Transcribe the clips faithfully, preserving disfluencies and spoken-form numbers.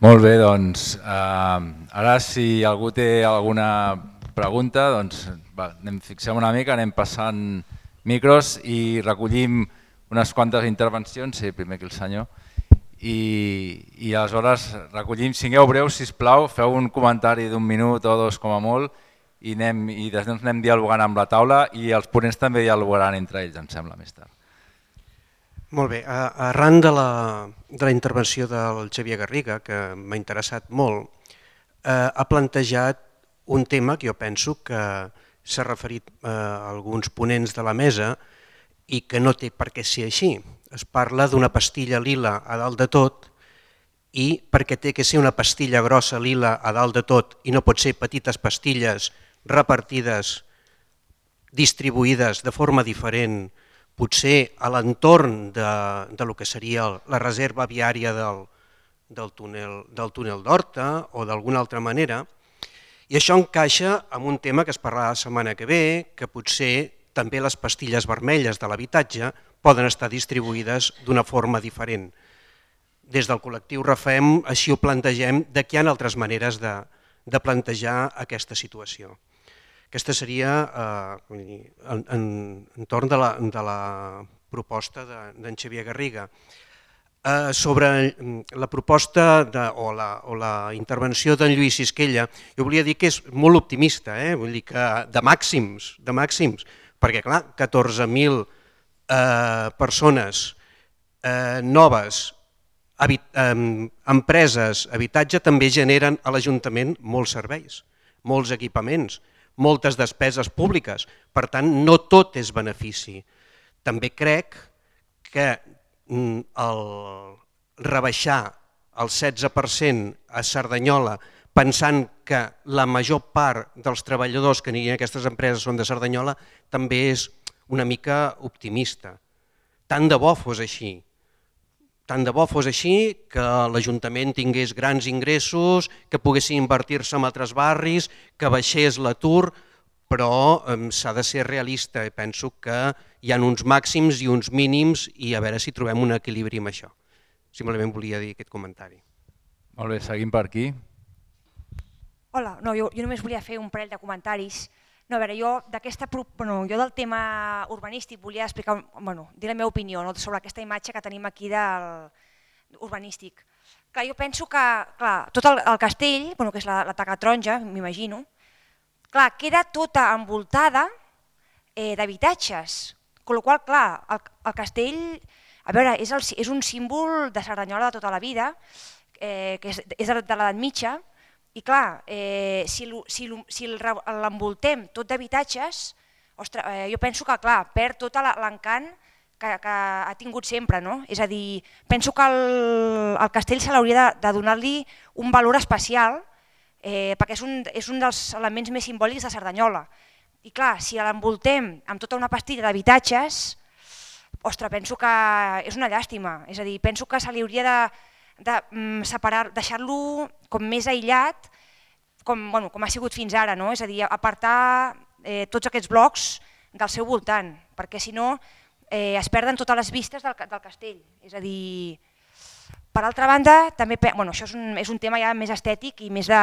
Molt bé, doncs ara si algú té alguna pregunta, doncs anem fixem una mica, anem passant micros i recollim unes quantes intervencions, sí, primer que el senyor, i aleshores recollim, sigueu breus sisplau, feu un comentari d'un minut o dos com a molt i després anem dialogant amb la taula i els ponents també dialogaran entre ells, em sembla, més tard. Molt bé, arran de la intervenció del Xavier Garriga, que m'ha interessat molt, ha plantejat un tema que jo penso que s'ha referit a alguns ponents de la mesa i que no té per què ser així. Es parla d'una pastilla lila a dalt de tot i perquè té que ser una pastilla grossa lila a dalt de tot i no pot ser petites pastilles repartides, distribuïdes de forma diferent, potser a l'entorn del que seria la reserva viària del túnel d'Horta o d'alguna altra manera. I això encaixa amb un tema que es parlarà la setmana que ve, que potser també les pastilles vermelles de l'habitatge poden estar distribuïdes d'una forma diferent. Des del col·lectiu RAFEM així ho plantegem, de que hi ha altres maneres de plantejar aquesta situació. Aquesta seria entorn de la proposta d'en Xavier Garriga. Sobre la proposta o la intervenció d'en Lluís Sisquella, jo volia dir que és molt optimista, vull dir que de màxims, de màxims, perquè clar, catorze mil persones noves, empreses, habitatge, també generen a l'Ajuntament molts serveis, molts equipaments, moltes despeses públiques, per tant no tot és benefici. També crec que el rebaixar el setze per cent a Cerdanyola pensant que la major part dels treballadors que anirien a aquestes empreses són de Cerdanyola també és una mica optimista. Tant de bo fos així. Tant de bo fos així, que l'Ajuntament tingués grans ingressos, que poguessin invertir-se en altres barris, que baixés l'atur, però s'ha de ser realista i penso que hi ha uns màxims i uns mínims i a veure si trobem un equilibri amb això. Simplement volia dir aquest comentari. Molt bé, seguim per aquí. Hola, jo només volia fer un parell de comentaris. No, a veure, jo del tema urbanístic volia explicar, dir la meva opinió sobre aquesta imatge que tenim aquí urbanístic. Jo penso que tot el castell, que és la taca taronja, m'imagino, queda tota envoltada d'habitatges, amb la qual cosa el castell és un símbol de Cerdanyola de tota la vida, que és de l'edat mitja, i clar, si l'envoltem tot d'habitatges, jo penso que perd tot l'encant que ha tingut sempre. És a dir, penso que al castell se l'hauria de donar-li un valor especial perquè és un dels elements més simbòlics de Cerdanyola. I clar, si l'envoltem amb tota una pastilla d'habitatges, ostres, penso que és una llàstima. És a dir, penso que se li hauria de de separar, deixar-lo com més aïllat, com ha sigut fins ara, és a dir, apartar tots aquests blocs del seu voltant, perquè si no es perden totes les vistes del castell. És a dir, per altra banda, també, això és un tema ja més estètic i més de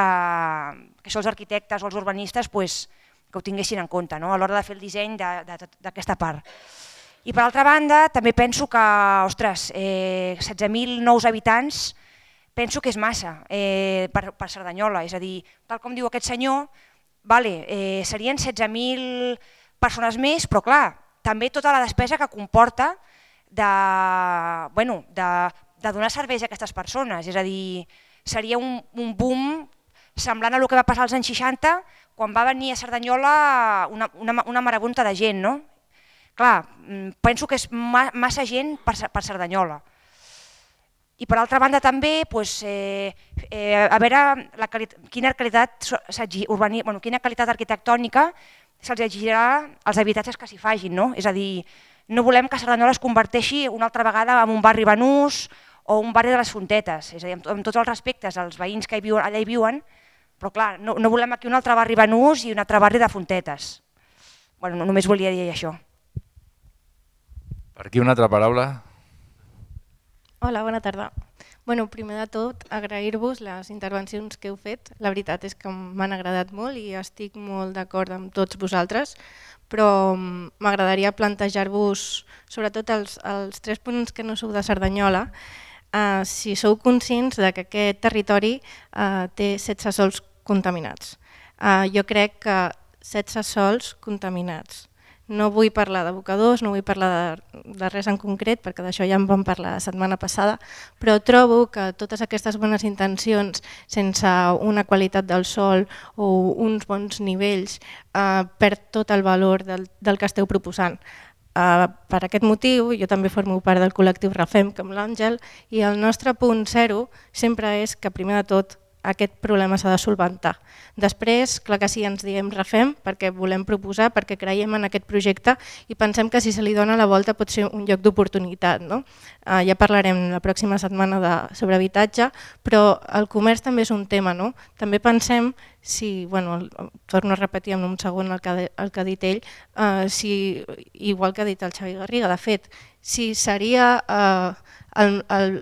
que això els arquitectes o els urbanistes que ho tinguessin en compte a l'hora de fer el disseny d'aquesta part. I per altra banda, també penso que, ostres, setze mil nous habitants, penso que és massa per Cerdanyola. És a dir, tal com diu aquest senyor, serien setze mil persones més, però clar, també tota la despesa que comporta de donar serveis a aquestes persones. És a dir, seria un boom semblant a el que va passar als anys seixanta, quan va venir a Cerdanyola una marabunta de gent, no? Clar, penso que és massa gent per Cerdanyola. I per altra banda també, a veure quina qualitat arquitectònica se'ls exigirà als habitatges que s'hi fagin. És a dir, no volem que Cerdanyola es converteixi una altra vegada en un barri banús o un barri de les Fontetes. És a dir, amb tots els respectes als veïns que allà hi viuen, però clar, no volem aquí un altre barri banús i un altre barri de Fontetes. Només volia dir això. Per aquí una altra paraula. Hola, bona tarda. Bueno, primer de tot, agrair-vos les intervencions que heu fet. La veritat és que m'han agradat molt i estic molt d'acord amb tots vosaltres, però m'agradaria plantejar-vos, sobretot els, els tres punts que no sou de Cerdanyola, eh, si sou conscients de que aquest territori eh, té setze sols contaminats. Eh, jo crec que setze sols contaminats. No vull parlar d'abocadors, no vull parlar de, de res en concret, perquè d'això ja en vam parlar la setmana passada, però trobo que totes aquestes bones intencions, sense una qualitat del sòl o uns bons nivells, eh, perd tot el valor del, del que esteu proposant. Eh, per aquest motiu, jo també formo part del col·lectiu RAFEM, com l'Àngel, i el nostre punt zero sempre és que, primer de tot, aquest problema s'ha de solventar. Després, clar que sí, ens diem RAFEM perquè volem proposar, perquè creiem en aquest projecte i pensem que si se li dona la volta pot ser un lloc d'oportunitat. No? Uh, ja parlarem la pròxima setmana de, sobre habitatge, però el comerç també és un tema. No? També pensem, si, bueno, torno a repetir en un segon el que, el que ha dit ell, uh, si, igual que ha dit el Xavi Garriga, de fet, si seria... Uh, El, el,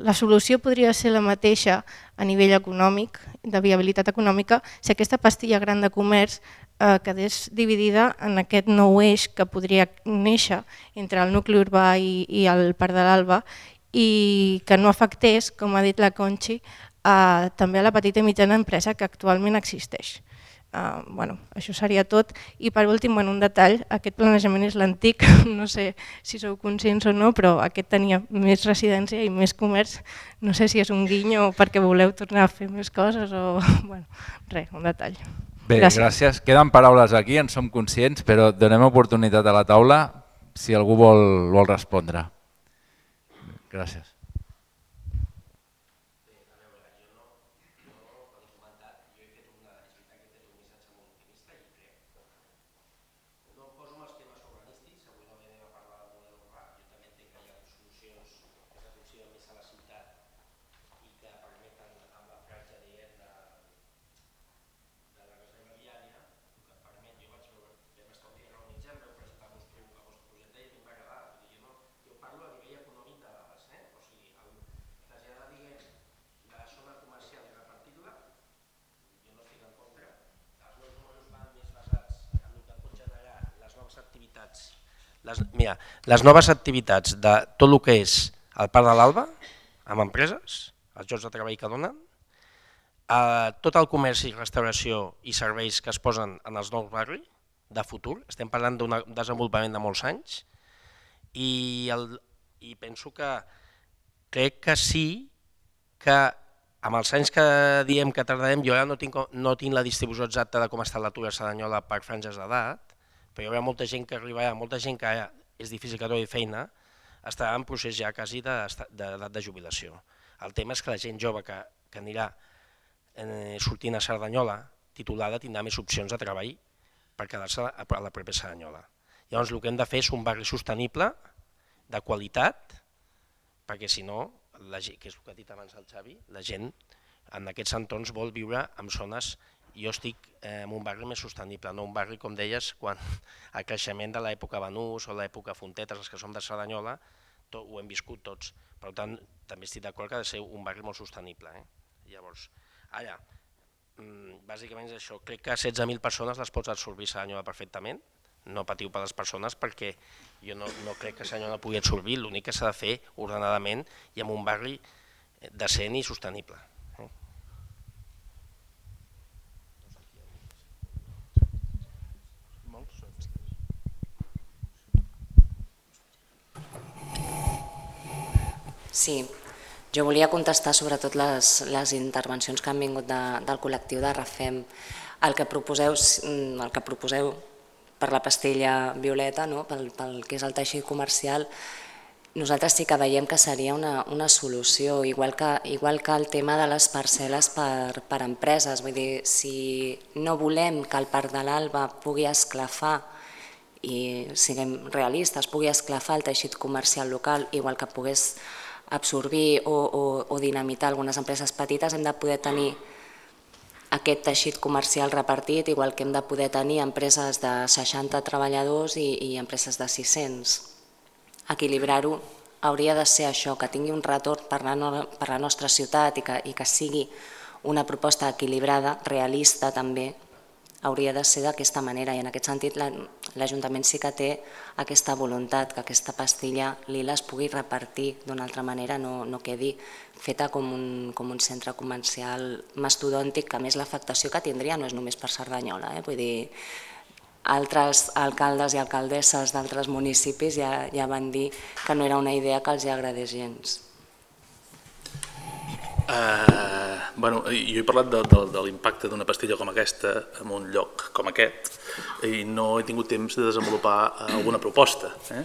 la solució podria ser la mateixa a nivell econòmic, de viabilitat econòmica, si aquesta pastilla gran de comerç eh, quedés dividida en aquest nou eix que podria néixer entre el nucli urbà i, i el Parc de l'Alba i que no afectés, com ha dit la Conchi, eh, també a la petita i mitjana empresa que actualment existeix. Uh, bueno, això seria tot. I per últim, bueno, un detall, aquest planejament és l'antic, no sé si sou conscients o no, però aquest tenia més residència i més comerç. No sé si és un guinyo perquè voleu tornar a fer més coses o... Bueno, res, un detall. Bé, gràcies. gràcies. Queden paraules aquí, en som conscients, però donem oportunitat a la taula si algú vol, vol respondre. Gràcies. Les, mira, les noves activitats de tot el que és el Parc de l'Alba, amb empreses, els llocs de treball que donen, eh, tot el comerç i restauració i serveis que es posen en els nous barris de futur, estem parlant d'un desenvolupament de molts anys, i, el, i penso que crec que sí que amb els anys que diem que tardarem, jo ara no tinc, no tinc la distribució exacta de com està l'atur a Cerdanyola per franges d'edat, però hi haurà molta gent que arribarà, molta gent que ara és difícil que trobi feina, estarà en procés ja quasi d'edat de, de, de jubilació. El tema és que la gent jove que, que anirà eh, sortint a Cerdanyola, titulada, tindrà més opcions de treball per quedar-se a la propera Cerdanyola. Llavors el que hem de fer és un barri sostenible, de qualitat, perquè si no, la gent, que és el que ha dit abans el Xavi, la gent en aquests entorns vol viure en zones. Jo estic en un barri més sostenible, no un barri, com deies, quan el creixement de l'època Banús o l'època Fontetes, els que som de Cerdanyola, tot, ho hem viscut tots. Per tant, també estic d'acord que ha de ser un barri molt sostenible. Eh? Llavors, ara, bàsicament és això. Crec que setze mil persones les pots absorbir Cerdanyola perfectament. No patiu per les persones perquè jo no, no crec que Cerdanyola pugui absorbir, l'únic que s'ha de fer ordenadament i en un barri decent i sostenible. Sí, jo volia contestar sobretot les, les intervencions que han vingut de, del col·lectiu de RAFEM. El que proposeu, el que proposeu per la pastilla violeta, no? pel, pel que és el teixit comercial, nosaltres sí que veiem que seria una, una solució, igual que, igual que el tema de les parcel·les per, per empreses. Vull dir, si no volem que el Parc de l'Alba pugui esclafar, i siguem realistes, pugui esclafar el teixit comercial local, igual que pogués absorbir o, o, o dinamitar algunes empreses petites, hem de poder tenir aquest teixit comercial repartit, igual que hem de poder tenir empreses de seixanta treballadors i, i empreses de sis-cents. Equilibrar-ho hauria de ser això, que tingui un retorn per la, no, per la nostra ciutat i que, i que sigui una proposta equilibrada, realista també, hauria de ser d'aquesta manera i en aquest sentit l'Ajuntament sí que té aquesta voluntat que aquesta pastilla lila es pugui repartir d'una altra manera, no, no quedi feta com un, com un centre comercial mastodòntic, que a més l'afectació que tindria no és només per Cerdanyola, eh? Vull dir, altres alcaldes i alcaldesses d'altres municipis ja, ja van dir que no era una idea que els agradés gens. Uh, bueno, jo he parlat de, de, de l'impacte d'una pastilla com aquesta en un lloc com aquest i no he tingut temps de desenvolupar alguna proposta, eh?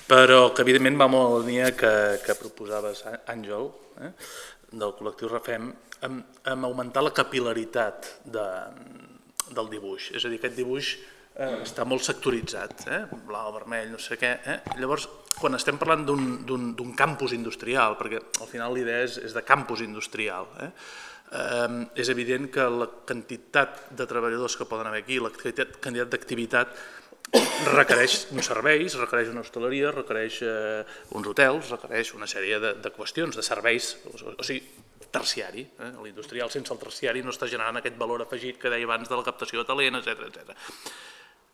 Però que evidentment va molt a la línia que, que proposaves, Àngel, eh? Del col·lectiu Refem, amb, amb augmentar la capil·laritat de, del dibuix, és a dir, aquest dibuix eh, està molt sectoritzat, eh? Blau, vermell, no sé què, eh? Llavors, quan estem parlant d'un campus industrial, perquè al final l'idea és, és de campus industrial, eh? Eh, és evident que la quantitat de treballadors que poden haver aquí, la quantitat d'activitat requereix uns serveis, requereix una hostaleria, requereix eh, uns hotels, requereix una sèrie de, de qüestions, de serveis, o, o sigui, terciari. Eh? L'industrial sense el terciari no està generant aquest valor afegit que deia abans de la captació de talent, etcètera, etcètera.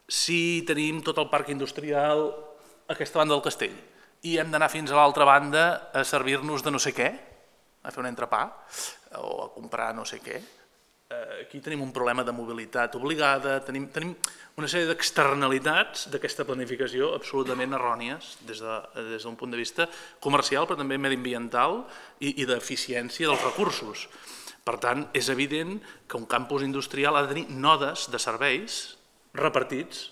Si tenim tot el parc industrial a aquesta banda del castell i hem d'anar fins a l'altra banda a servir-nos de no sé què, a fer un entrepà o a comprar no sé què, aquí tenim un problema de mobilitat obligada, tenim, tenim una sèrie d'externalitats d'aquesta planificació absolutament errònies des d'un de, punt de vista comercial però també mediambiental i, i d'eficiència dels recursos. Per tant, és evident que un campus industrial ha de tenir nodes de serveis repartits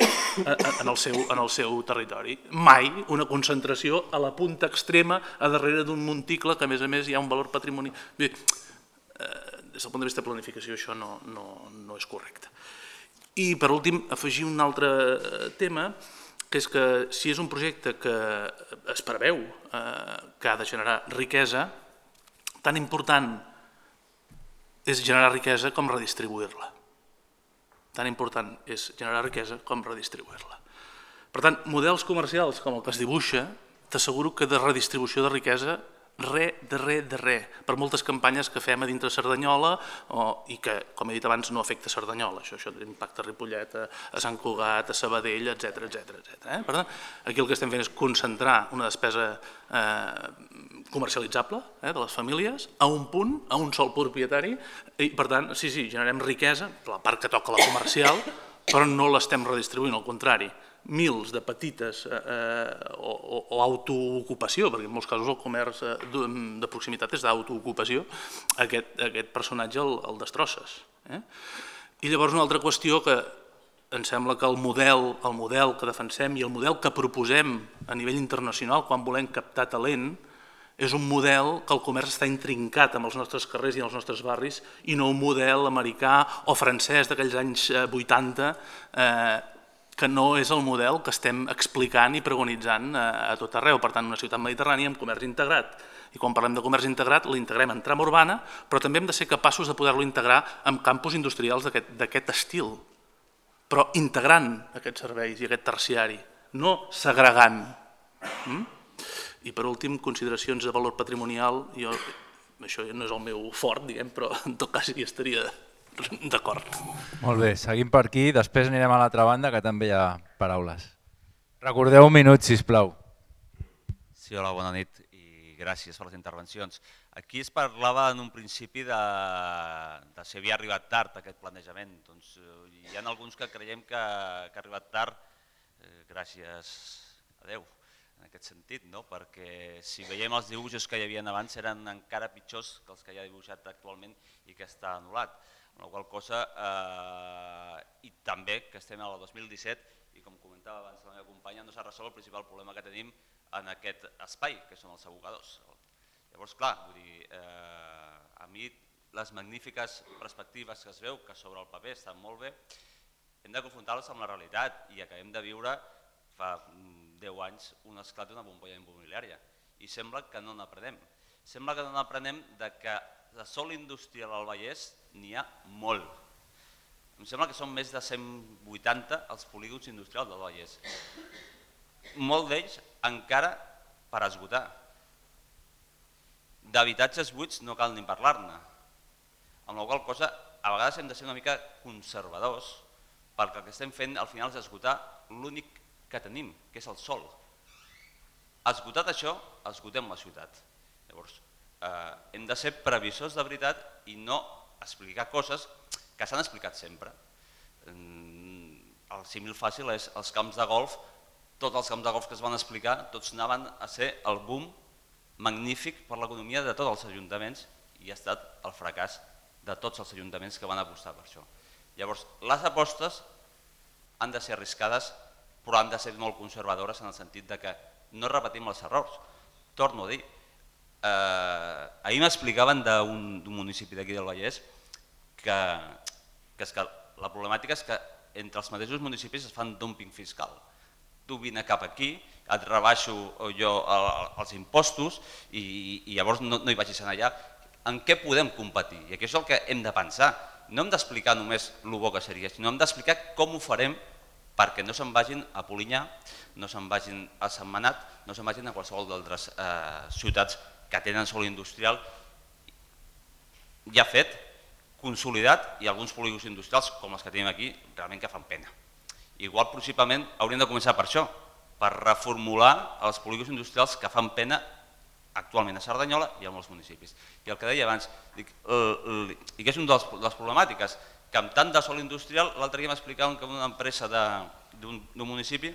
en el, seu, en el seu territori. Mai una concentració a la punta extrema a darrere d'un monticle que a més a més hi ha un valor patrimonial. Bé, des del punt de vista de planificació això no, no, no és correcte. I per últim afegir un altre tema, que és que si és un projecte que es preveu eh, que ha de generar riquesa, tan important és generar riquesa com redistribuir-la. Tan important és generar riquesa com redistribuir-la. Per tant, models comercials com el que es dibuixa, t'asseguro que de redistribució de riquesa, re, de re, de re, per moltes campanyes que fem a dintre Cerdanyola o, i que, com he dit abans, no afecta Cerdanyola. Això, això impacta a Ripollet, a, a Sant Cugat, a Sabadell, etcètera, etcètera, etcètera. Eh? Per tant, aquí el que estem fent és concentrar una despesa eh, comercialitzable eh, de les famílies a un punt, a un sol propietari, i per tant, sí, sí, generem riquesa, la part que toca la comercial, però no l'estem redistribuint, al contrari. Mils de petites eh, o, o autoocupació, perquè en molts casos el comerç eh, de proximitat és d'autoocupació, aquest, aquest personatge el, el destrosses. Eh? I llavors una altra qüestió que em sembla que el model, el model que defensem i el model que proposem a nivell internacional quan volem captar talent és un model que el comerç està intrincat amb els nostres carrers i els nostres barris i no un model americà o francès d'aquells anys vuitanta eh, que no és el model que estem explicant i preconitzant a tot arreu. Per tant, una ciutat mediterrània amb comerç integrat. I quan parlem de comerç integrat, l'integrem en trama urbana, però també hem de ser capaços de poder-lo integrar en campus industrials d'aquest estil, però integrant aquests serveis i aquest terciari, no segregant. Mm? I per últim, consideracions de valor patrimonial, jo, això no és el meu fort, diguem, però en tot cas hi estaria d'acord. Molt bé, seguim per aquí, després anirem a l'altra banda que també hi ha paraules. Recordeu un minut, sisplau. Sí, hola, bona nit i gràcies per les intervencions. Aquí es parlava en un principi de, de si havia arribat tard aquest planejament. Doncs, hi ha alguns que creiem que, que ha arribat tard, eh, gràcies a Déu, en aquest sentit, no? Perquè si veiem els dibuixos que hi havia abans eren encara pitjors que els que hi ha dibuixat actualment i que està anul·lat. Amb la qual cosa, eh, i també que estem al dos mil disset i com comentava abans la meva companya, no s'ha resolt el principal problema que tenim en aquest espai, que són els abocadors. Llavors, clar, vull dir, eh, a mi les magnífiques perspectives que es veu, que sobre el paper estan molt bé, hem de confrontar-les amb la realitat i acabem de viure fa deu anys un esclat d'una bombolla immobiliària i sembla que no n'aprenem. Sembla que no n'aprenem de que de sol industrial al Vallès n'hi ha molt. Em sembla que són més de cent vuitanta els polígons industrials del Vallès. Molt d'ells encara per esgotar. d'habitatges buits no cal ni parlar-ne. Amb la qual cosa, a vegades hem de ser una mica conservadors perquè el que estem fent al final és esgotar l'únic que tenim, que és el sol. Esgotat això, esgotem la ciutat. Llavors, eh, hem de ser previsors de veritat i no explicar coses que s'han explicat sempre. El símil fàcil és els camps de golf, tots els camps de golf que es van explicar, tots anaven a ser el boom magnífic per l'economia de tots els ajuntaments i ha estat el fracàs de tots els ajuntaments que van apostar per això. Llavors, les apostes han de ser arriscades, però han de ser molt conservadores en el sentit de que no repetim els errors. Torno a dir, eh, ahir m'explicaven d'un municipi d'aquí del Vallès que, que, és que la problemàtica és que entre els mateixos municipis es fan dumping fiscal. Tu vine cap aquí, et rebaixo jo els impostos i, i llavors no, no hi vagis allà. En què podem competir? I aquí és el que hem de pensar. No hem d'explicar només el bo que seria, sinó hem d'explicar com ho farem perquè no se'n vagin a Polinyà, no se'n vagin a Sentmenat, no se'n vagin a qualsevol d'altres eh, ciutats que tenen sòl industrial ja fet, consolidat, i alguns polígons industrials, com els que tenim aquí, realment que fan pena. Igual, possiblement, hauríem de començar per això, per reformular els polígons industrials que fan pena actualment a Cerdanyola i a molts municipis. I el que deia abans, dic, el, el, i que és una de, de les problemàtiques, que amb tant de sòl industrial, l'altre dia m'explicaven que una empresa d'un municipi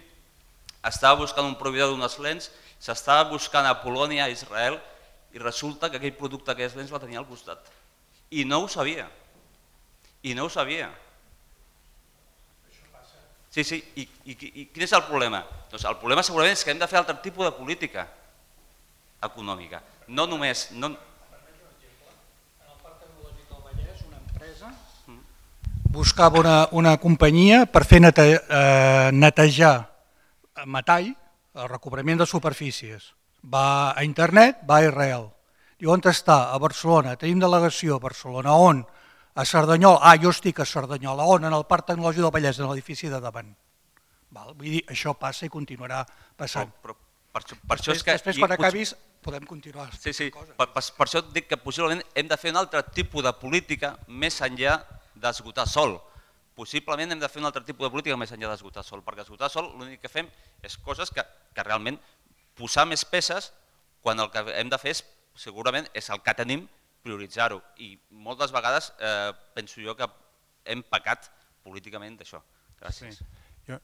estava buscant un proveïdor d'unes lents, s'estava buscant a Polònia, a Israel, i resulta que aquell producte d'aquelles lents la tenia al costat. I no ho sabia. I no ho sabia. Sí, sí, i, i, i quin és el problema? Doncs el problema segurament és que hem de fer altre tipus de política econòmica. No només... No... En el Parc Tecnològic del Vallès, una empresa buscava una, una companyia per fer nete, eh, netejar metall, el recobrament de superfícies. Va a internet, va a Israel. Diu, on està? A Barcelona. Tenim delegació a Barcelona. On? A Cerdanyola. Ah, jo estic a Cerdanyola. On? En el Parc Tecnològic del Vallès, en l'edifici de davant. Val? Vull dir, això passa i continuarà passant. Però, però, per, això, per això després, és que... després, quan acabis, podem continuar. Sí, sí, per, per, per això dic que possiblement hem de fer un altre tipus de política més enllà d'esgotar sol. Possiblement hem de fer un altre tipus de política més enllà d'esgotar sol, perquè esgotar sol l'únic que fem és coses que, que realment posar més peces quan el que hem de fer és, segurament és el que tenim, prioritzar-ho. I moltes vegades eh, penso jo que hem pecat políticament d'això. Gràcies. Sí. Jo...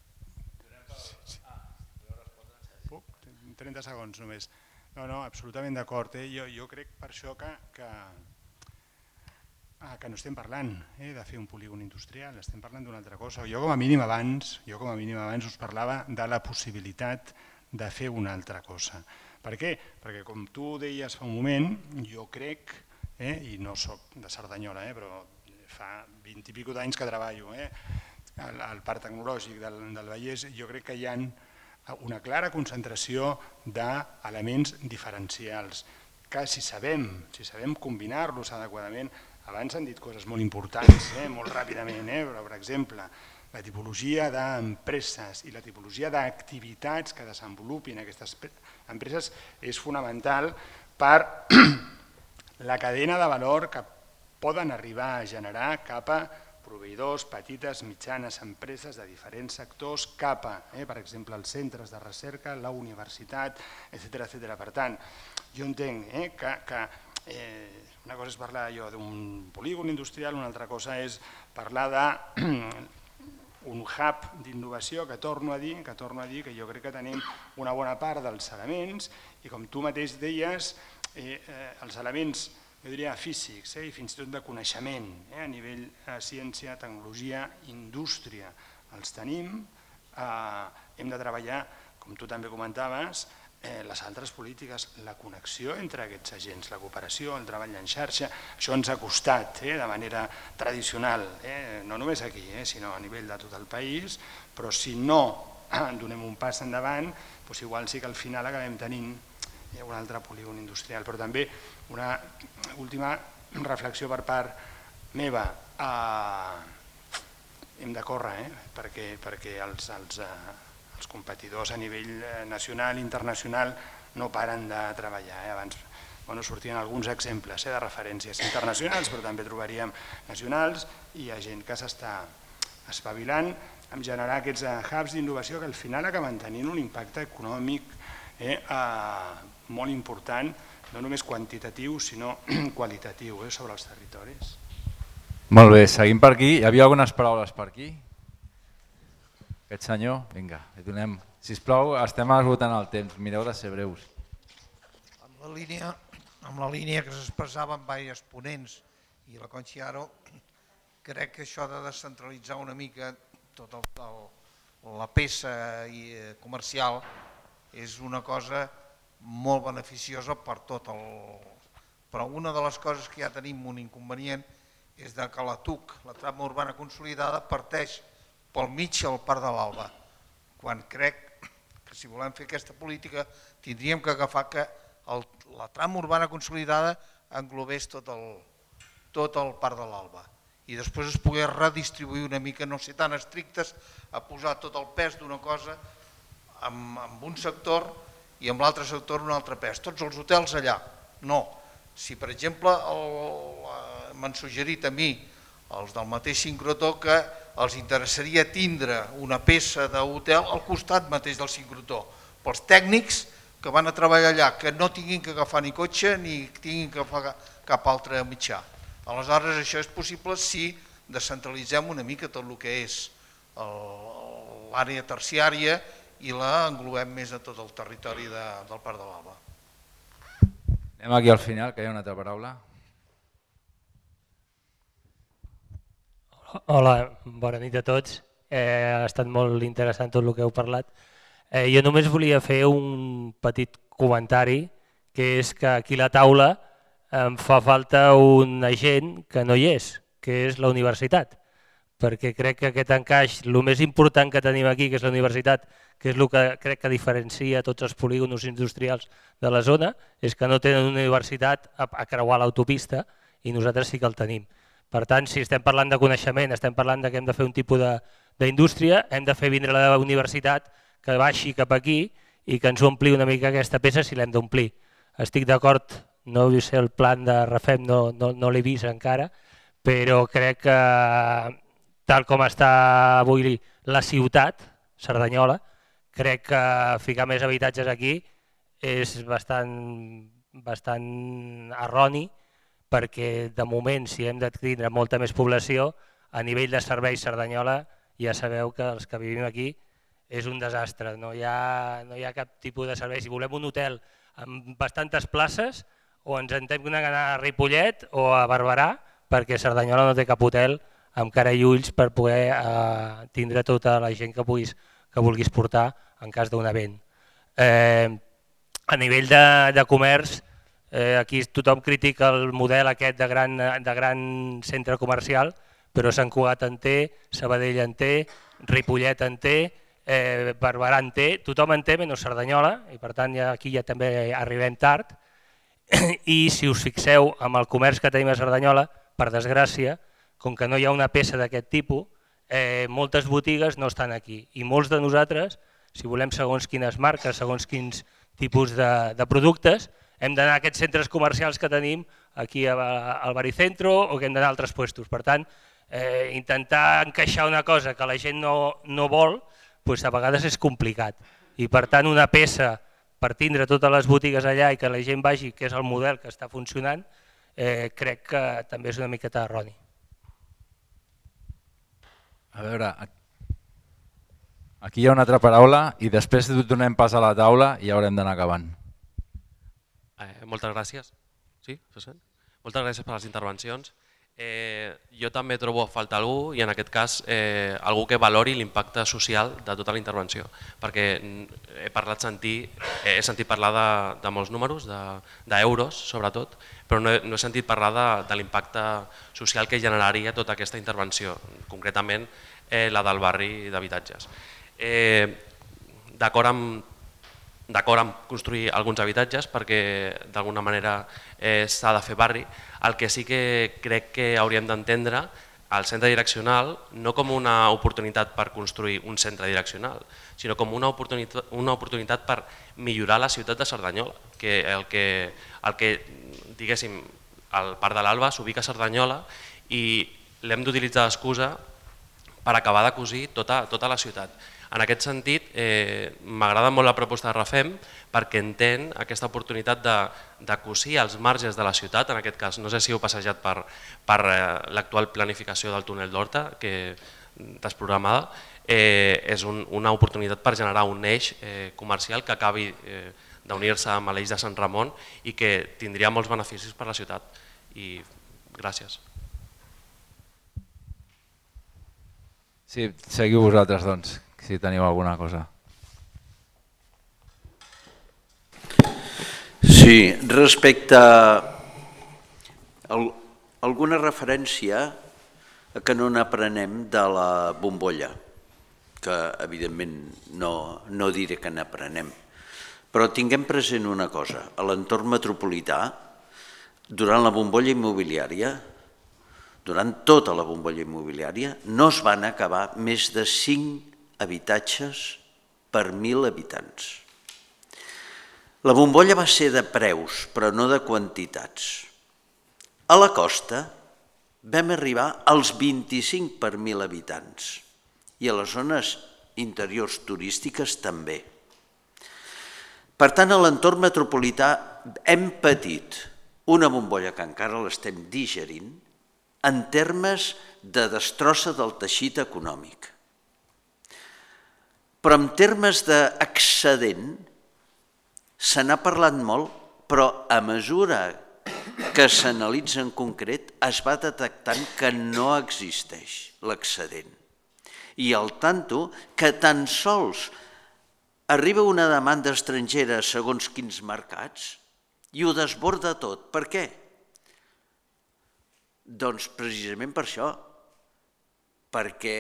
Puc? trenta segons només. No, no, absolutament d'acord. Eh? Jo, jo crec per això que, que, ah, que no estem parlant eh, de fer un polígon industrial, estem parlant d'una altra cosa. Jo com a mínim abans, jo com a mínim abans us parlava de la possibilitat de fer una altra cosa. Per què? Perquè com tu deies fa un moment, jo crec, eh, i no soc de Cerdanyola, eh, però fa vint i pico d'anys que treballo eh, al, al Parc Tecnològic del, del Vallès, jo crec que hi ha una clara concentració d'elements diferencials que si sabem, si sabem combinar-los adequadament, abans han dit coses molt importants, eh, molt ràpidament, eh, però per exemple, la tipologia d'empreses i la tipologia d'activitats que desenvolupin aquestes empreses és fonamental per la cadena de valor que poden arribar a generar cap a proveïdors, petites, mitjanes empreses de diferents sectors, cap a, eh, per exemple, els centres de recerca, la universitat, etcètera, etcètera. Per tant, jo entenc eh, que, que eh, una cosa és parlar d'un polígon industrial, una altra cosa és parlar de un hub d'innovació que torno a dir, que torno a dir que jo crec que tenim una bona part dels elements i com tu mateix deies, eh, eh, els elements, jo diria físics eh, i fins i tot de coneixement eh, a nivell de ciència, tecnologia, indústria, els tenim, eh, hem de treballar, com tu també comentaves, eh, les altres polítiques, la connexió entre aquests agents, la cooperació, el treball en xarxa, això ens ha costat eh, de manera tradicional, eh, no només aquí, eh, sinó a nivell de tot el país, però si no eh, donem un pas endavant, doncs igual sí que al final acabem tenint eh, un altre polígon industrial. Però també una última reflexió per part meva, eh, hem de córrer eh, perquè, perquè els... els eh, els competidors a nivell nacional i internacional no paren de treballar. Eh? Abans bueno, sortien alguns exemples eh, de referències internacionals, però també trobaríem nacionals, i hi ha gent que s'està espavilant en generar aquests hubs d'innovació que al final acaben tenint un impacte econòmic eh, eh, molt important, no només quantitatiu, sinó qualitatiu eh, sobre els territoris. Molt bé, seguim per aquí. Hi havia algunes paraules per aquí? Aquest senyor, vinga, li donem. Sisplau, estem esgotant el temps, mireu de ser breus. Amb la línia, amb la línia que s'expressava amb diversos ponents i la Conchiaro, crec que això de descentralitzar una mica tota la peça comercial és una cosa molt beneficiosa per tot el... Però una de les coses que ja tenim un inconvenient és que la T U C, la trama urbana consolidada, parteix pel mig al Parc de l'Alba, quan crec que si volem fer aquesta política tindríem que agafar que el, la trama urbana consolidada englobés tot el, tot el Parc de l'Alba i després es pogués redistribuir una mica, no ser tan estrictes a posar tot el pes d'una cosa amb, amb un sector i amb l'altre sector un altre pes. Tots els hotels allà, no. Si per exemple m'han suggerit a mi els del mateix sincrotó que els interessaria tindre una peça d'hotel al costat mateix del sincrotó, pels tècnics que van a treballar allà, que no tinguin que agafar ni cotxe ni tinguin que agafar cap altre mitjà. Aleshores això és possible si descentralitzem una mica tot el que és l'àrea terciària i la englobem més a tot el territori de, del Parc de l'Alba. Anem aquí al final, que hi ha una altra paraula. Hola, bona nit a tots. Eh, ha estat molt interessant tot el que heu parlat. Eh, jo només volia fer un petit comentari, que és que aquí a la taula em fa falta un agent que no hi és, que és la universitat, perquè crec que aquest encaix, el més important que tenim aquí, que és la universitat, que és el que crec que diferencia tots els polígons industrials de la zona, és que no tenen una universitat a, a creuar l'autopista i nosaltres sí que el tenim. Per tant, si estem parlant de coneixement, estem parlant que hem de fer un tipus d'indústria, hem de fer vindre la universitat que baixi cap aquí i que ens ompli una mica aquesta peça si l'hem d'omplir. Estic d'acord, no he vist el plan de Refem, no, no, no l'he vist encara, però crec que tal com està avui la ciutat, Cerdanyola, crec que ficar més habitatges aquí és bastant, bastant erroni, perquè de moment si hem de tindre molta més població, a nivell de serveis Cerdanyola ja sabeu que els que vivim aquí és un desastre, no hi ha, no hi ha cap tipus de servei. Si volem un hotel amb bastantes places, o ens hem d'anar a Ripollet o a Barberà, perquè Cerdanyola no té cap hotel amb cara i ulls per poder eh, tindre tota la gent que, puguis, que vulguis portar en cas d'un event. Eh, a nivell de, de comerç, eh, aquí tothom critica el model aquest de gran, de gran centre comercial, però Sant Cugat en té, Sabadell en té, Ripollet en té, eh, Barberà en té, tothom en té menys Cerdanyola, i per tant ja, aquí ja també arribem tard. I si us fixeu amb el comerç que tenim a Cerdanyola, per desgràcia, com que no hi ha una peça d'aquest tipus, eh, moltes botigues no estan aquí. I molts de nosaltres, si volem segons quines marques, segons quins tipus de, de productes, hem d'anar a aquests centres comercials que tenim aquí al Baricentro o que hem d'anar a altres puestos. Per tant, eh, intentar encaixar una cosa que la gent no, no vol, doncs a vegades és complicat. I per tant, una peça per tindre totes les botigues allà i que la gent vagi, que és el model que està funcionant, eh, crec que també és una miqueta erroni. A veure, aquí hi ha una altra paraula i després donem pas a la taula i ja haurem d'anar acabant. Eh, moltes gràcies. Sí, se sent? Moltes gràcies per les intervencions. Eh, jo també trobo a falta algú, i en aquest cas eh, algú que valori l'impacte social de tota la intervenció, perquè he parlat sentir, he sentit parlar de, de molts números, d'euros de, sobretot, però no he, no he sentit parlar de, de l'impacte social que generaria tota aquesta intervenció, concretament eh, la del barri d'habitatges. Eh, D'acord amb d'acord amb construir alguns habitatges perquè d'alguna manera eh, s'ha de fer barri. El que sí que crec que hauríem d'entendre el centre direccional no com una oportunitat per construir un centre direccional, sinó com una oportunitat, una oportunitat per millorar la ciutat de Cerdanyola, que el que, el que diguéssim, el Parc de l'Alba s'ubica a Cerdanyola i l'hem d'utilitzar d'excusa per acabar de cosir tota, tota la ciutat. En aquest sentit, eh, m'agrada molt la proposta de Rafem perquè entén aquesta oportunitat de, de cosir els marges de la ciutat, en aquest cas no sé si heu passejat per, per eh, l'actual planificació del túnel d'Horta, que desprogramada, eh, és un, una oportunitat per generar un eix eh, comercial que acabi eh, d'unir-se amb l'eix de Sant Ramon i que tindria molts beneficis per a la ciutat. I gràcies. Sí, seguiu vosaltres, doncs, si teniu alguna cosa. Sí, respecte a alguna referència a que no n'aprenem de la bombolla, que evidentment no, no diré que n'aprenem, però tinguem present una cosa, a l'entorn metropolità, durant la bombolla immobiliària, durant tota la bombolla immobiliària, no es van acabar més de cinc habitatges per mil habitants. La bombolla va ser de preus, però no de quantitats. A la costa vam arribar als vint-i-cinc per mil habitants i a les zones interiors turístiques també. Per tant, a l'entorn metropolità hem patit una bombolla que encara l'estem digerint en termes de destrossa del teixit econòmic. Però en termes d'excedent se n'ha parlat molt, però a mesura que s'analitza en concret es va detectant que no existeix l'excedent. I al tanto que tan sols arriba una demanda estrangera segons quins mercats i ho desborda tot. Per què? Doncs precisament per això, perquè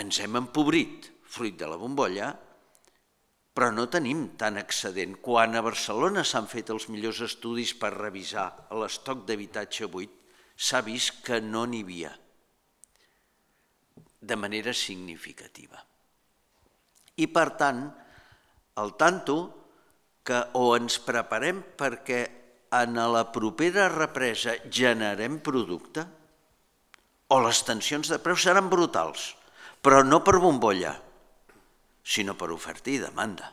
ens hem empobrit fruit de la bombolla, però no tenim tant excedent. Quan a Barcelona s'han fet els millors estudis per revisar l'estoc d'habitatge buit, s'ha vist que no n'hi havia de manera significativa. I per tant, al tanto que o ens preparem perquè en la propera represa generem producte o les tensions de preus seran brutals, però no per bombolla, sinó per oferta i demanda.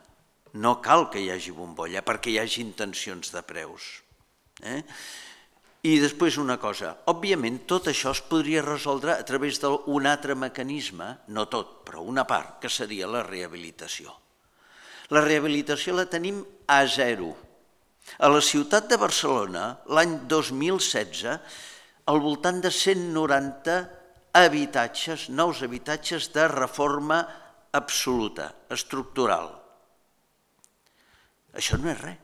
No cal que hi hagi bombolla perquè hi hagi tensions de preus. Eh? I després una cosa, òbviament tot això es podria resoldre a través d'un altre mecanisme, no tot, però una part, que seria la rehabilitació. La rehabilitació la tenim a zero. A la ciutat de Barcelona, l'any dos mil setze, al voltant de cent noranta habitatges, nous habitatges de reforma absoluta, estructural. Això no és res.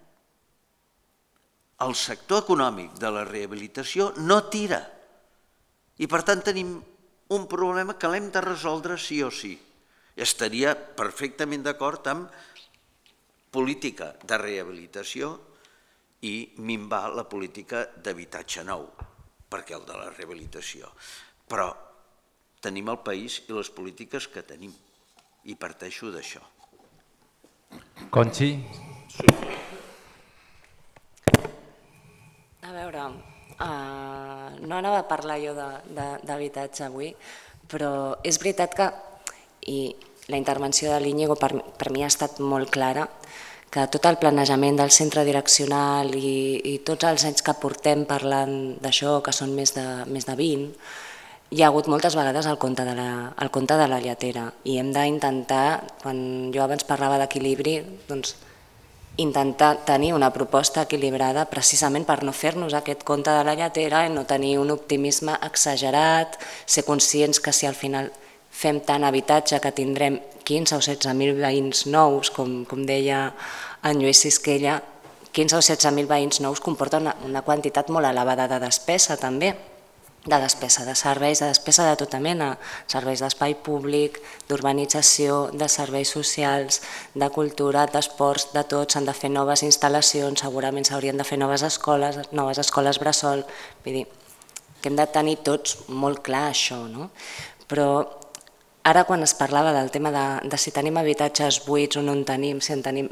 El sector econòmic de la rehabilitació no tira i per tant tenim un problema que l'hem de resoldre sí o sí. Estaria perfectament d'acord amb política de rehabilitació i minvar la política d'habitatge nou, perquè el de la rehabilitació. Però tenim el país i les polítiques que tenim i parteixo d'això. Conchi? A veure, uh, no anava a parlar jo d'habitatge avui, però és veritat que, i la intervenció de l'Íñigo per, per mi ha estat molt clara, que tot el planejament del centre direccional i, i tots els anys que portem parlant d'això, que són més de, més de vint, hi ha hagut moltes vegades el conte de la, el conte de la lletera i hem d'intentar, quan jo abans parlava d'equilibri, doncs intentar tenir una proposta equilibrada precisament per no fer-nos aquest conte de la lletera i no tenir un optimisme exagerat, ser conscients que si al final fem tant habitatge que tindrem quinze o setze mil veïns nous, com, com deia en Lluís Sisquella, quinze o setze mil veïns nous comporta una, una quantitat molt elevada de despesa també, de despesa de serveis, de despesa de tota mena, serveis d'espai públic, d'urbanització, de serveis socials, de cultura, d'esports, de tot, s'han de fer noves instal·lacions, segurament s'haurien de fer noves escoles, noves escoles bressol, vull dir, que hem de tenir tots molt clar això, no? Però ara quan es parlava del tema de, de si tenim habitatges buits o no en tenim, si en tenim...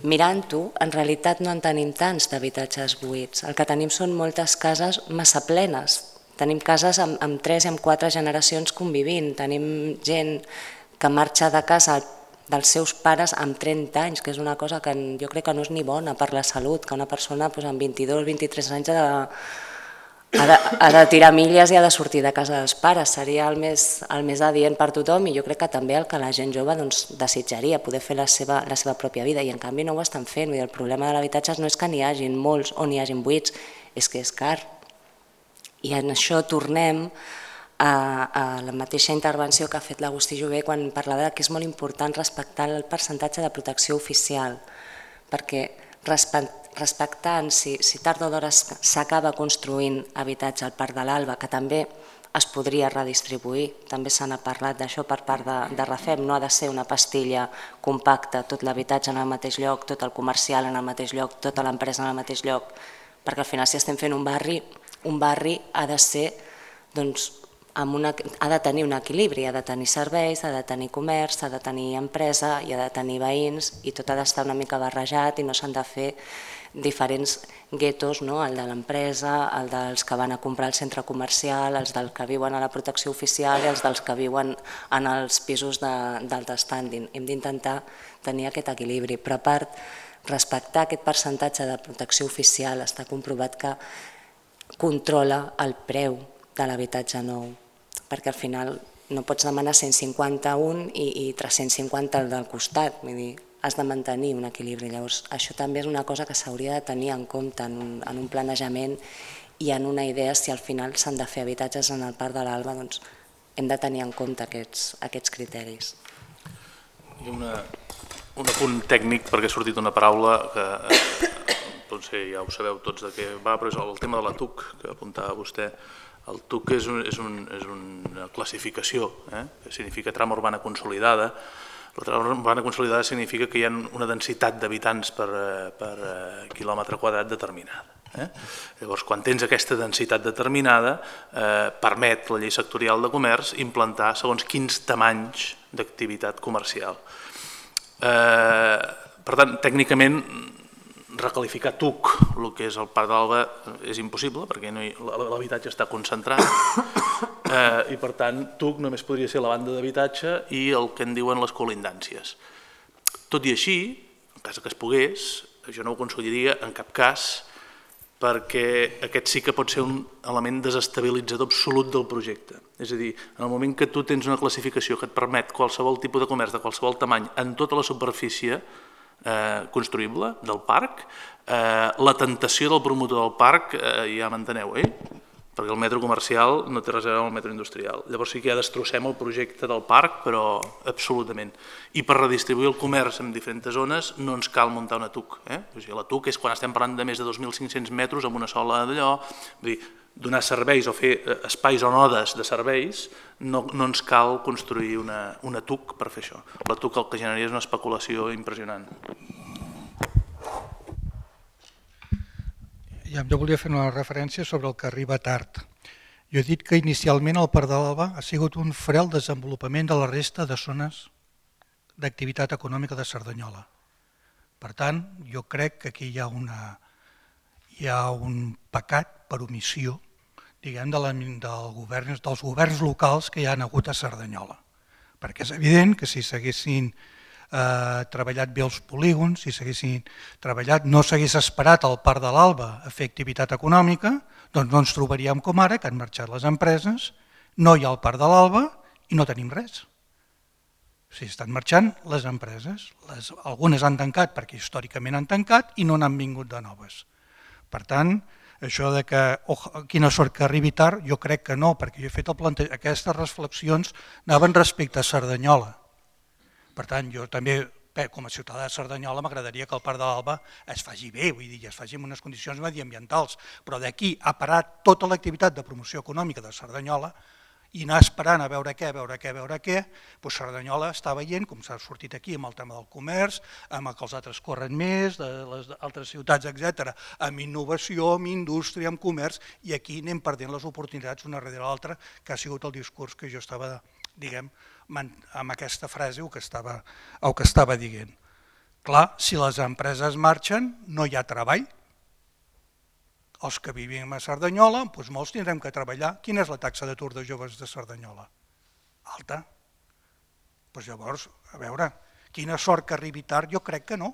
Mirant-ho, en realitat no en tenim tants d'habitatges buits. El que tenim són moltes cases massa plenes. Tenim cases amb, amb tres i amb quatre generacions convivint. Tenim gent que marxa de casa dels seus pares amb trenta anys, que és una cosa que jo crec que no és ni bona per la salut, que una persona doncs, amb vint-i-dos, vint-i-tres anys ha de, ha, de, ha de tirar milles i ha de sortir de casa dels pares. Seria el més, el més adient per tothom i jo crec que també el que la gent jove doncs, desitjaria, poder fer la seva, la seva pròpia vida, i en canvi no ho estan fent. El problema de l'habitatge no és que n'hi hagin molts o n'hi hagin buits, és que és car. I en això tornem a, a la mateixa intervenció que ha fet l'Agustí Jové quan parlava que és molt important respectar el percentatge de protecció oficial, perquè respectant si, si tard o d'hora s'acaba construint habitatge al Parc de l'Alba, que també es podria redistribuir, també se n'ha parlat d'això per part de, de Rafem, no ha de ser una pastilla compacta, tot l'habitatge en el mateix lloc, tot el comercial en el mateix lloc, tota l'empresa en el mateix lloc, perquè al final si estem fent un barri, un barri ha de ser, doncs, amb una, ha de tenir un equilibri, ha de tenir serveis, ha de tenir comerç, ha de tenir empresa i ha de tenir veïns i tot ha d'estar una mica barrejat i no s'han de fer diferents guetos, no? El de l'empresa, el dels que van a comprar al centre comercial, els dels que viuen a la protecció oficial i els dels que viuen en els pisos d'alta standing. Hem d'intentar tenir aquest equilibri, però a part, respectar aquest percentatge de protecció oficial està comprovat que controla el preu de l'habitatge nou, perquè al final no pots demanar cent cinquanta-un i, i tres-cents cinquanta al del costat, vull dir, has de mantenir un equilibri. Llavors, això també és una cosa que s'hauria de tenir en compte en un, en un planejament i en una idea si al final s'han de fer habitatges en el Parc de l'Alba, doncs hem de tenir en compte aquests, aquests criteris. I una, un apunt tècnic, perquè ha sortit una paraula que potser ja ho sabeu tots de què va, però és el tema de la T U C que apuntava vostè. El T U C és, un, és, un, és una classificació, eh? Que significa trama urbana consolidada. La trama urbana consolidada significa que hi ha una densitat d'habitants per, per quilòmetre quadrat determinada. Eh? Llavors, quan tens aquesta densitat determinada, eh, permet la llei sectorial de comerç implantar segons quins tamanys d'activitat comercial. Eh, per tant, tècnicament, recalificar T U C, el que és el Parc d'Alba, és impossible perquè no l'habitatge està concentrat eh, i per tant T U C només podria ser la banda d'habitatge i el que en diuen les colindàncies. Tot i així, en cas que es pogués, jo no ho aconseguiria en cap cas perquè aquest sí que pot ser un element desestabilitzador absolut del projecte. És a dir, en el moment que tu tens una classificació que et permet qualsevol tipus de comerç de qualsevol tamany en tota la superfície Eh, construïble del parc, eh, la tentació del promotor del parc eh, ja m'enteneu, eh? Perquè el metro comercial no té res a veure amb el metro industrial. Llavors sí que ja destrossem el projecte del parc, però absolutament. I per redistribuir el comerç en diferents zones no ens cal muntar una T U C. Eh? O sigui, la T U C és quan estem parlant de més de dos mil cinc-cents metres amb una sola d'allò, vull dir, donar serveis o fer espais o nodes de serveis, no, no ens cal construir una, una T U C per fer això. La T U C el que generaria és una especulació impressionant. Ja, jo volia fer una referència sobre el que arriba tard. Jo he dit que inicialment el Parc de l'Alba ha sigut un fre al desenvolupament de la resta de zones d'activitat econòmica de Cerdanyola. Per tant, jo crec que aquí hi ha, una, hi ha un pecat per omissió, diguem, de la, del govern, dels governs locals que hi ha hagut a Cerdanyola. Perquè és evident que si s'haguessin eh, treballat bé els polígons, si s'haguessin treballat, no s'hagués esperat al Parc de l'Alba a fer activitat econòmica, doncs no ens trobaríem com ara, que han marxat les empreses, no hi ha el Parc de l'Alba i no tenim res. O sigui, estan marxant les empreses. Les, algunes han tancat perquè històricament han tancat i no n'han vingut de noves. Per tant, això de que oh, quina sort que arribi tard, jo crec que no, perquè jo he fet el plantejament, aquestes reflexions anaven respecte a Cerdanyola. Per tant, jo també, bé, com a ciutadà de Cerdanyola, m'agradaria que el Parc de l'Alba es faci bé, vull dir, es faci en unes condicions mediambientals, però d'aquí a parar tota l'activitat de promoció econòmica de Cerdanyola, i anar esperant a veure què, a veure què, a veure què, doncs Cerdanyola està veient, com s'ha sortit aquí amb el tema del comerç, amb que els altres corren més, de les altres ciutats, etcètera, amb innovació, amb indústria, amb comerç, i aquí anem perdent les oportunitats una darrere l'altra, que ha sigut el discurs que jo estava, diguem, amb aquesta frase o que estava, o que estava dient. Clar, si les empreses marxen, no hi ha treball. Els que vivim a Cerdanyola, doncs molts tindrem que treballar. Quina és la taxa d'atur de joves de Cerdanyola? Alta. Doncs llavors, a veure, quina sort que arribi tard, jo crec que no.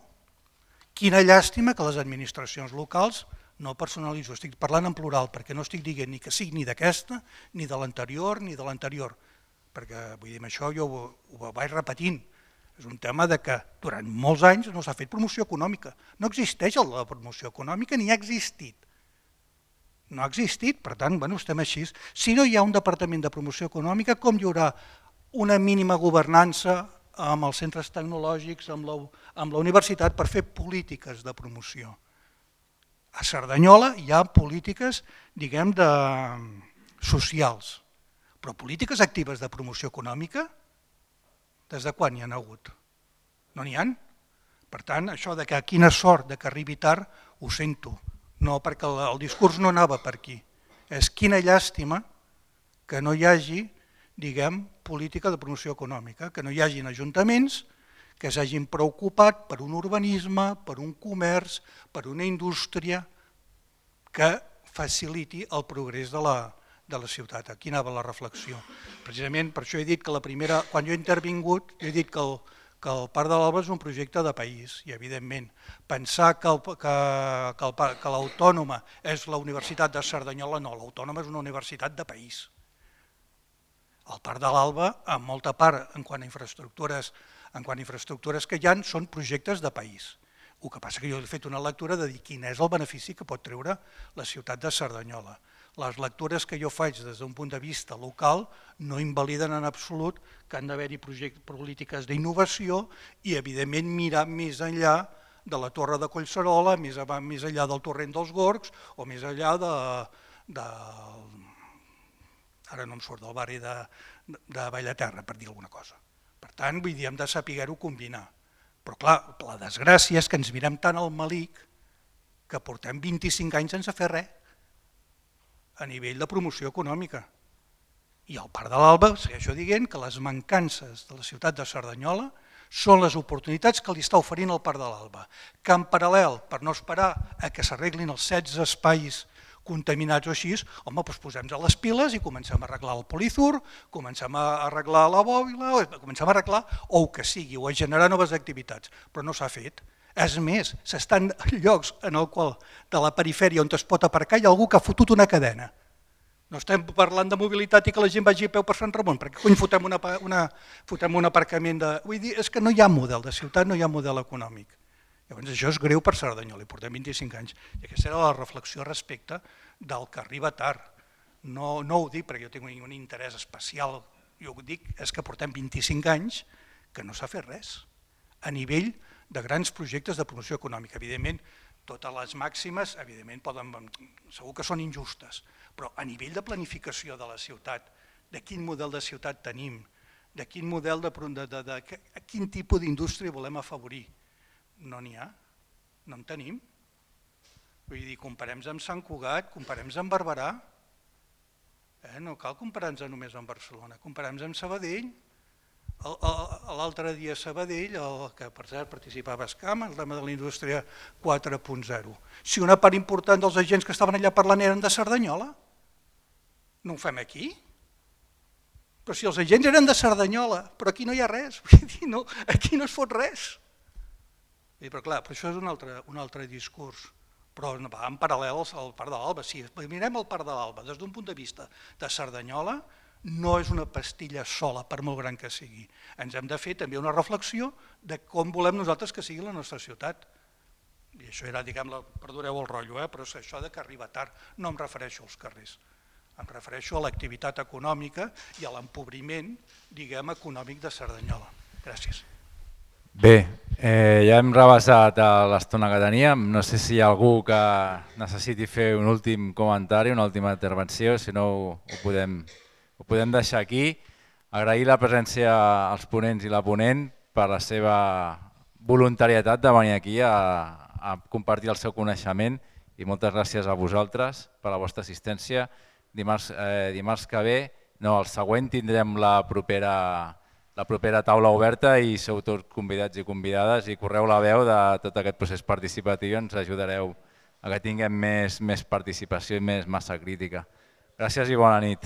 Quina llàstima que les administracions locals, no personalitzo, estic parlant en plural, perquè no estic dient ni que sigui ni d'aquesta, ni de l'anterior, ni de l'anterior, perquè vull dir, això jo ho, ho vaig repetint. És un tema de que durant molts anys no s'ha fet promoció econòmica. No existeix la promoció econòmica ni ha existit. No ha existit, per tant, bueno, estem així. Si no hi ha un departament de promoció econòmica, com hi haurà una mínima governança amb els centres tecnològics, amb la, amb la universitat, per fer polítiques de promoció? A Cerdanyola hi ha polítiques, diguem, de, socials, però polítiques actives de promoció econòmica, des de quan hi ha hagut? No n'hi ha. Per tant, això de que quina sort de que arribi tard, ho sento. No, perquè el, el discurs no anava per aquí. És quina llàstima que no hi hagi, diguem, política de promoció econòmica, que no hi hagin ajuntaments que s'hagin preocupat per un urbanisme, per un comerç, per una indústria que faciliti el progrés de la, de la ciutat. Aquí anava la reflexió. Precisament per això he dit que la primera, quan jo he intervingut, he dit que el, que el Parc de l'Alba és un projecte de país i evidentment pensar que, el, que, que, el, que l'Autònoma és la Universitat de Cerdanyola, no, l'Autònoma és una universitat de país. El Parc de l'Alba, en molta part, en quant a infraestructures, en quant a infraestructures que hi ha, són projectes de país. El que passa que jo he fet una lectura de dir quin és el benefici que pot treure la ciutat de Cerdanyola. Les lectures que jo faig des d'un punt de vista local no invaliden en absolut que han d'haver-hi polítiques d'innovació i, evidentment, mirar més enllà de la Torre de Collserola, més, més enllà del Torrent dels Gorgs o més enllà de, de ara no em surt, del barri de, de Bellaterra, per dir alguna cosa. Per tant, vull dir, hem de saber-ho combinar. Però clar, la desgràcia és que ens mirem tant al malic que portem vint-i-cinc anys sense fer res a nivell de promoció econòmica. I al Parc de l'Alba segueixo dient que les mancances de la ciutat de Cerdanyola són les oportunitats que li està oferint el Parc de l'Alba, que en paral·lel, per no esperar a que s'arreglin els setze espais contaminats o així, home, doncs posem a les piles i comencem a arreglar el Polizur, comencem a arreglar la bòbila, comencem a arreglar o el que sigui, o a generar noves activitats, però no s'ha fet. És més, s'estan en llocs en el qual de la perifèria on es pot aparcar hi ha algú que ha fotut una cadena. No estem parlant de mobilitat i que la gent vagi a peu per Sant Ramon, perquè cony fotem, una, una, fotem un aparcament de... Vull dir, és que no hi ha model de ciutat, no hi ha model econòmic. Llavors això és greu per Cerdanyola, i portem vint-i-cinc anys. I aquesta era la reflexió respecte del que arriba tard. No, no ho dic perquè jo tinc un interès especial, jo ho dic, és que portem vint-i-cinc anys que no s'ha fet res a nivell de grans projectes de promoció econòmica. Evidentment, totes les màximes, evidentment, poden, segur que són injustes, però a nivell de planificació de la ciutat, de quin model de ciutat tenim, de quin model de, de, de, de, de quin tipus d'indústria volem afavorir, no n'hi ha, no en tenim. Vull dir, comparem-nos amb Sant Cugat, comparem-nos amb Barberà, eh? No cal comparar-nos només amb Barcelona, comparem-nos amb Sabadell. L'altre dia a Sabadell, el que per cert participava a Escam, el tema de la indústria quatre punt zero. Si una part important dels agents que estaven allà parlant eren de Cerdanyola, no ho fem aquí? Però si els agents eren de Cerdanyola, però aquí no hi ha res, aquí no es fot res. Però clar, això és un altre, un altre discurs, però va en paral·lel al Parc de l'Alba. Si mirem el Parc de l'Alba des d'un punt de vista de Cerdanyola, no és una pastilla sola, per molt gran que sigui. Ens hem de fer també una reflexió de com volem nosaltres que sigui la nostra ciutat. I això era, diguem, perdoneu el rotllo, eh? Però és això de que arriba tard. No em refereixo als carrers, em refereixo a l'activitat econòmica i a l'empobriment, diguem, econòmic de Cerdanyola. Gràcies. Bé, eh, ja hem rebassat l'estona que teníem. No sé si hi ha algú que necessiti fer un últim comentari, una última intervenció, si no ho, ho podem ho podem deixar aquí. Agrair la presència als ponents i la ponent per la seva voluntarietat de venir aquí a, a compartir el seu coneixement i moltes gràcies a vosaltres per la vostra assistència. Dimarts, eh, dimarts que ve, no, el següent tindrem la propera, la propera taula oberta i sou tots convidats i convidades i correu la veu de tot aquest procés participatiu i ens ajudareu a que tinguem més, més participació i més massa crítica. Gràcies i bona nit.